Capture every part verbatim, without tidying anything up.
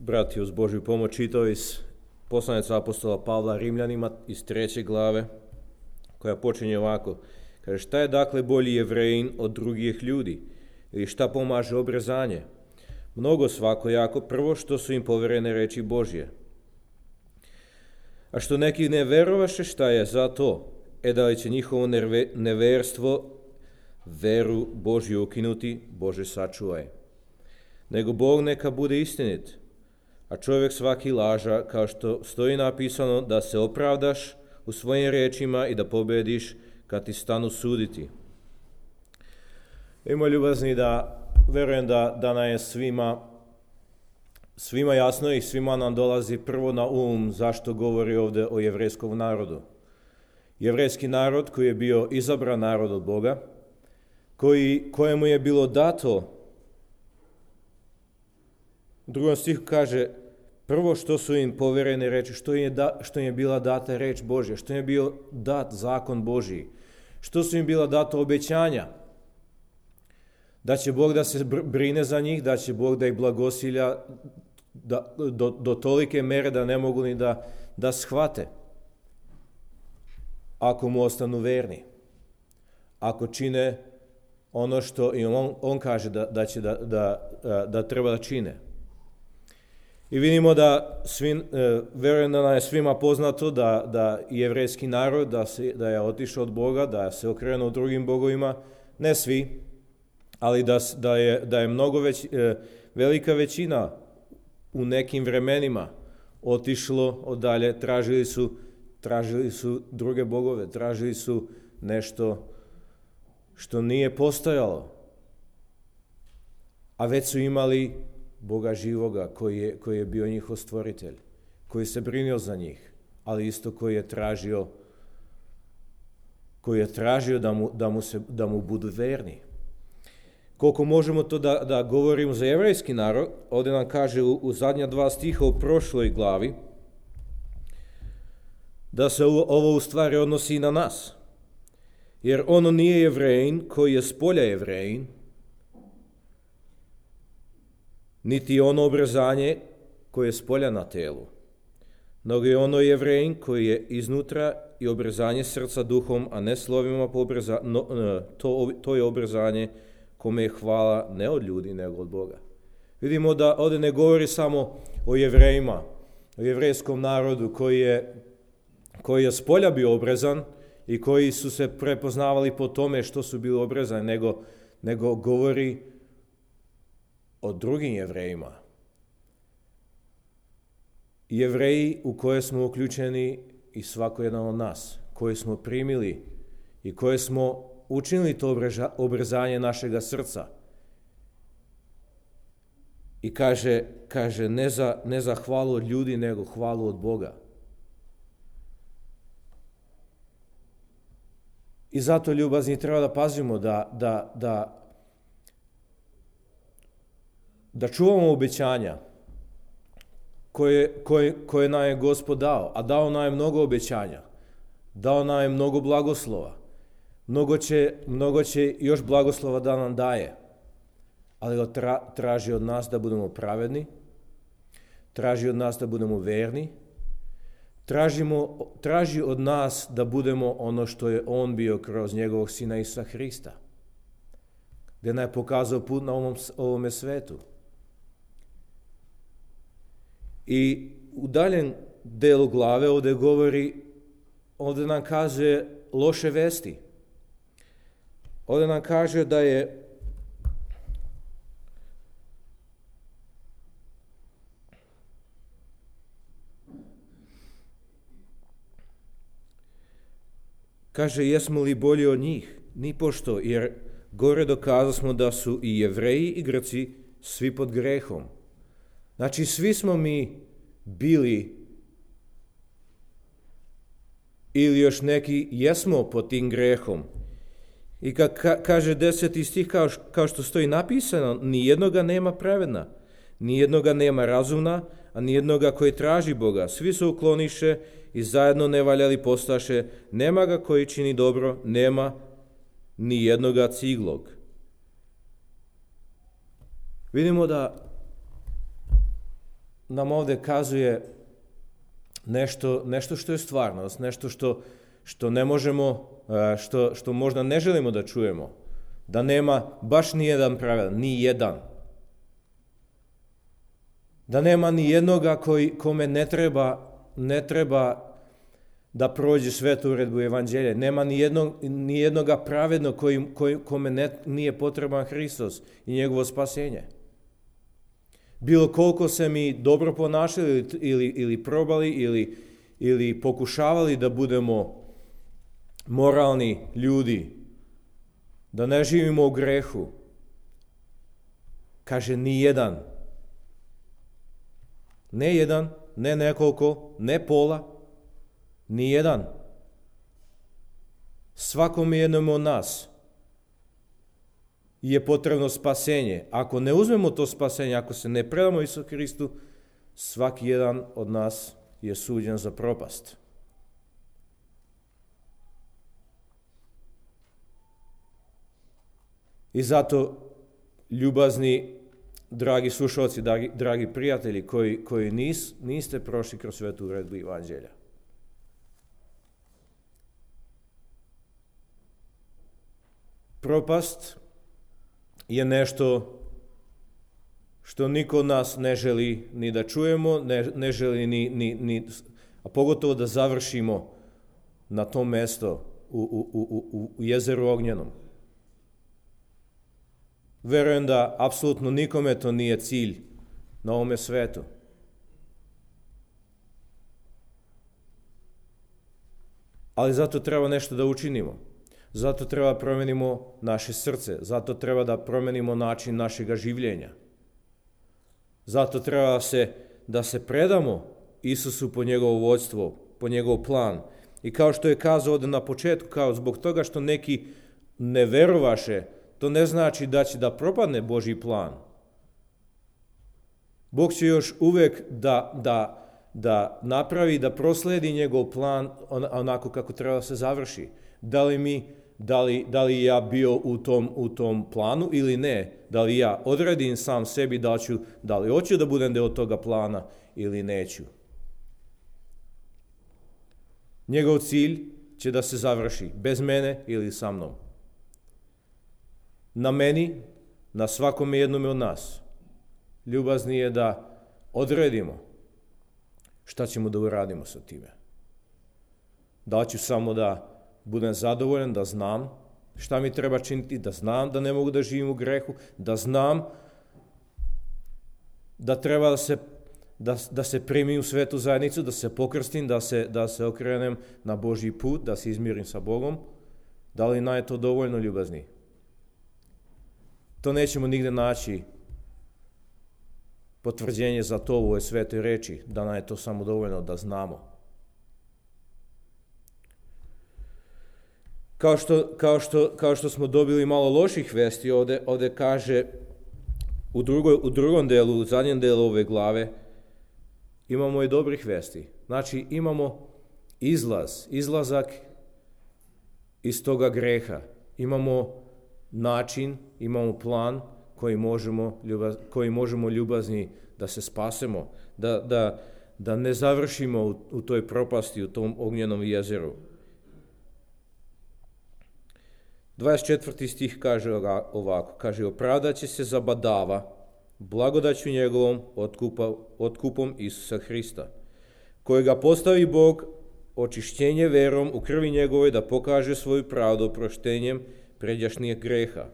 brati, uz Božju pomoć čitao iz poslanice apostola Pavla Rimljanima iz treće glave, koja počinje ovako. Kaže, šta je dakle bolji Jevrejin od drugih ljudi? Ili šta pomaže obrezanje? Mnogo svakojako, prvo što su im poverene reči Božje. A što neki ne verovaše, šta je za to? E da li će njihovo neverstvo veru Božju ukinuti? Bože sačuvaj. Nego Bog neka bude istinit, a čovjek svaki laža, kao što stoji napisano, da se opravdaš u svojim rečima i da pobediš kad ti stanu suditi. Ima ljubazni da verujem da, da nam je svima, svima jasno i svima nam dolazi prvo na um zašto govori ovdje o jevrejskom narodu. Jevrejski narod koji je bio izabran narod od Boga, koji, kojemu je bilo dato, u drugom stihu kaže, prvo što su im poverene reči, što im je, da, što im je bila data reč Božja, što im je bio dat zakon Božji, što su im bila data obećanja, da će Bog da se brine za njih, da će Bog da ih blagosilja da, do, do tolike mere da ne mogu ni da, da shvate, ako mu ostanu verni, ako čine ono što i on, on kaže da, da, će da, da, da treba da čine. I vidimo da, svi, verujem da nam je svima poznato da, da jevrejski narod, da, se, da je otišao od Boga, da se okrenuo drugim bogovima, ne svi, ali da, da, je, da je mnogo već, velika većina u nekim vremenima otišlo odalje, tražili su, tražili su druge bogove, tražili su nešto što nije postojalo, a već su imali Boga živoga koji je, koji je bio njihov stvoritelj, koji se brinuo za njih, ali isto koji je tražio, koji je tražio da mu, da mu, se, da mu budu verni. Koliko možemo to da, da govorimo za jevrejski narod, ovdje nam kaže u, u zadnja dva stiha u prošloj glavi, da se ovo u stvari odnosi i na nas. Jer ono nije Jevrejin koji je s polja Jevrejin, niti ono obrezanje koje je s polja na telu, nego je ono Jevrejin koji je iznutra i obrezanje srca duhom, a ne slovima po obreza, no, to, to je obrezanje kome je hvala ne od ljudi, nego od Boga. Vidimo da ovdje ne govori samo o Jevrejima, o jevrejskom narodu koji je, koji je s polja bio obrezan i koji su se prepoznavali po tome što su bili obrezani, nego, nego govori o drugim Jevrejima. Jevreji u koje smo uključeni i svako jedan od nas, koje smo primili i koje smo učinili to obrezanje našega srca. I kaže, kaže ne, za, ne za hvalu od ljudi, nego hvalu od Boga. I zato, ljubazni, treba da pazimo da, da, da da čuvamo obećanja koje, koje, koje nam je Gospod dao, a dao nam je mnogo obećanja, dao nam je mnogo blagoslova, mnogo će, mnogo će još blagoslova da nam daje, ali tra, traži od nas da budemo pravedni, traži od nas da budemo verni, tražimo, traži od nas da budemo ono što je on bio kroz njegovog sina Isusa Hrista, gdje nam je pokazao put na ovom, ovome svetu. I u daljem delu glave ovdje govori, ovdje nam kaže loše vesti. Ovdje nam kaže da je kaže, jesmo li bolji od njih? Nipošto, jer gore dokazali smo da su i Jevreji i Grci svi pod grehom. Znači, svi smo mi bili, ili još neki jesmo pod tim grehom. I kad ka, kaže deseti stih, kao, kao što stoji napisano, nijednoga nema pravedna, nijednoga nema razumna, a nijednoga koji traži Boga. Svi se ukloniše i zajedno nevaljali postaše, nema ga koji čini dobro, nema ni jednoga ciglog. Vidimo da nam ovdje kazuje nešto, nešto što je stvarnost, nešto što, što ne možemo, što, što možda ne želimo da čujemo. Da nema baš ni jedan pravedan, ni jedan. Da nema ni jednoga koji, kome ne treba, ne treba da prođe svetu uredbu evanđelja. Nema ni, jednog, ni jednoga pravednog koji, koji, kome ne, nije potreban Hristos i njegovo spasenje. Bilo koliko se mi dobro ponašali ili, ili probali ili, ili pokušavali da budemo moralni ljudi, da ne živimo u grehu, kaže ni jedan. Ne jedan, ne nekoliko, ne pola, ni jedan. Svakom jednom od nas je potrebno spasenje. Ako ne uzmemo to spasenje, ako se ne predamo Isusu Hristu, svaki jedan od nas je suđen za propast. I zato, ljubazni, dragi slušalci, dragi, dragi prijatelji, koji, koji nis, niste prošli kroz svetu uredbu evanđelja, propast je nešto što niko od nas ne želi ni da čujemo, ne, ne želi ni, ni, ni, a pogotovo da završimo na tom mesto u, u, u, u jezeru ognjenom. Verujem da apsolutno nikome to nije cilj na ovome svetu. Ali zato treba nešto da učinimo. Zato treba promenimo naše srce. Zato treba da promenimo način našega življenja. Zato treba se, da se predamo Isusu po njegovo vođstvo, po njegov plan. I kao što je kazao ovdje na početku, kao zbog toga što neki ne verovaše, to ne znači da će da propadne Božji plan. Bog će još uvek da, da, da napravi, da prosledi njegov plan onako kako treba da se završi. Da li mi, da li, da li ja bio u tom, u tom planu ili ne? Da li ja odredim sam sebi da ću, da li hoću da budem deo toga plana ili neću? Njegov cilj će da se završi bez mene ili sa mnom. Na meni, na svakome jednome od nas, ljubazni je da odredimo šta ćemo da uradimo sa time. Da ću samo da budem zadovoljan, da znam šta mi treba činiti, da znam da ne mogu da živim u grehu, da znam da treba da se, da, da se primim u svetu zajednicu, da se pokrstim, da se, da se okrenem na Božji put, da se izmirim sa Bogom. Da li nam je to dovoljno, ljubazni? To nećemo nigde naći potvrđenje za to u ovoj svetoj reči, da nam je to samo dovoljno da znamo. Kao što, kao što, kao što smo dobili malo loših vesti, ovdje, ovdje kaže u, drugoj, u drugom delu, u zadnjem delu ove glave, imamo i dobrih vesti. Znači imamo izlaz, izlazak iz toga greha. Imamo način, imamo plan koji možemo, ljubaz, koji možemo ljubazni da se spasemo, da, da, da ne završimo u, u toj propasti, u tom ognjenom jezeru. dvadeset četvrti stih kaže ovako, kaže, opravdat će se zabadava blagodaću njegovom otkupa, otkupom Isusa Hrista, kojega postavi Bog očišćenje verom u krvi njegovoj da pokaže svoju pravdu oproštenjem pređašnjeg greha,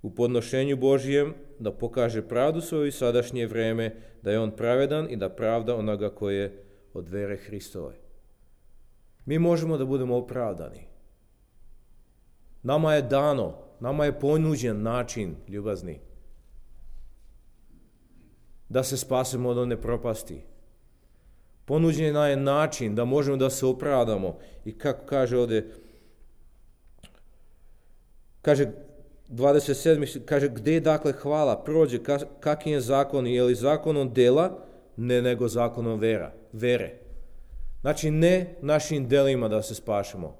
u podnošenju Božijem da pokaže pravdu svoju sadašnje vreme, da je on pravedan i da pravda onoga koje od vere Hristove. Mi možemo da budemo opravdani. Nama je dano, nama je ponuđen način, ljubazni, da se spasemo od one propasti. Ponuđen je način da možemo da se opravdamo. I kako kaže ovdje, kaže dvadeset sedmi, kaže, gdje dakle hvala prođe, kakvi je zakon, je li zakonom dela, ne nego zakonom vera, vere. Znači ne našim delima da se spašemo.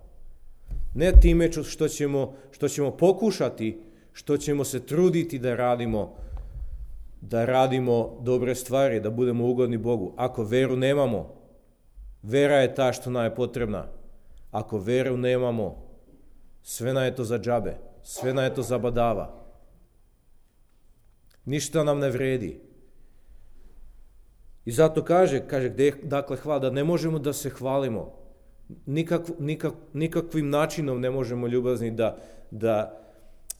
Ne time što ćemo, što ćemo pokušati, što ćemo se truditi da radimo da radimo dobre stvari, da budemo ugodni Bogu. Ako veru nemamo, vera je ta što nam je potrebna. Ako veru nemamo, sve nam je to za džabe, sve nam je to zabadava. Ništa nam ne vredi. I zato kaže, kaže gdje je dakle hvala, da ne možemo da se hvalimo. Nikak, nikak, nikakvim načinom ne možemo ljubazni da, da,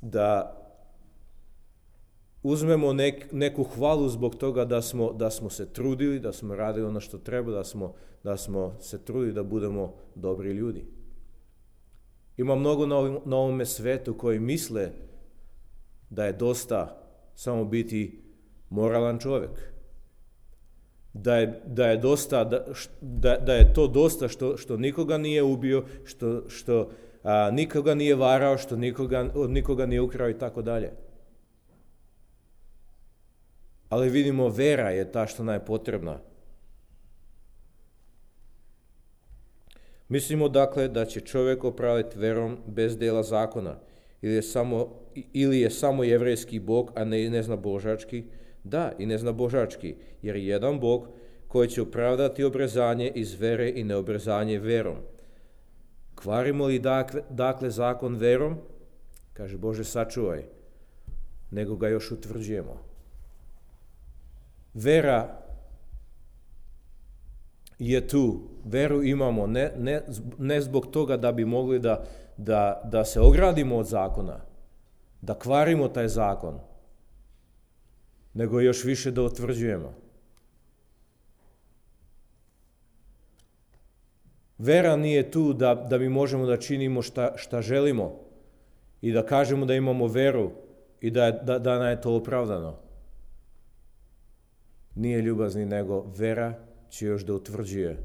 da uzmemo nek, neku hvalu zbog toga da smo, da smo se trudili, da smo radili ono što treba, da smo, da smo se trudili da budemo dobri ljudi. Ima mnogo na, ovim, na ovome svetu koji misle da je dosta samo biti moralan čovjek. Da je, da je, dosta, da, da, da je to dosta što, što nikoga nije ubio, što, što a, nikoga nije varao, što nikoga, od nikoga nije ukrao i tako dalje. Ali vidimo, vera je ta što nam je potrebna. Mislimo dakle da će čovjek opraviti verom bez dela zakona, ili je samo, ili je samo jevrejski Bog, a ne neznabožački. Da, i neznabožački, jer je jedan Bog koji će opravdati obrezanje iz vere i neobrezanje verom. Kvarimo li dakle, dakle zakon verom? Kaže, Bože, sačuvaj, nego ga još utvrđujemo. Vera je tu, veru imamo, ne, ne, ne zbog toga da bi mogli da, da, da se ogradimo od zakona, da kvarimo taj zakon, nego još više da utvrđujemo. Vera nije tu da, da mi možemo da činimo šta, šta želimo i da kažemo da imamo veru i da, da, da nam je to opravdano. Nije ljubazni, nego vera će još da utvrđuje,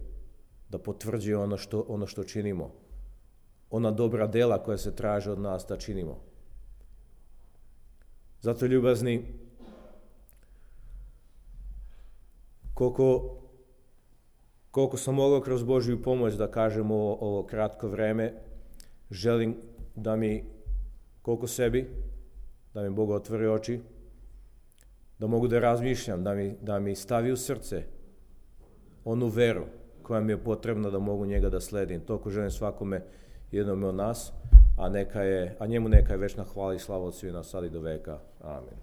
da potvrđuje ono što, ono što činimo. Ona dobra dela koja se traže od nas da činimo. Zato, ljubazni, koliko, koliko sam mogao kroz Božju pomoć da kažem ovo, ovo kratko vreme, želim da mi, koliko sebi, da mi Bog otvori oči, da mogu da razmišljam, da mi, da mi stavi u srce onu veru koja mi je potrebna da mogu njega da sledim. Toliko želim svakome jednome od nas, a, neka je, a njemu neka je večna hvala i slava od svih nas sad i do veka. Amen.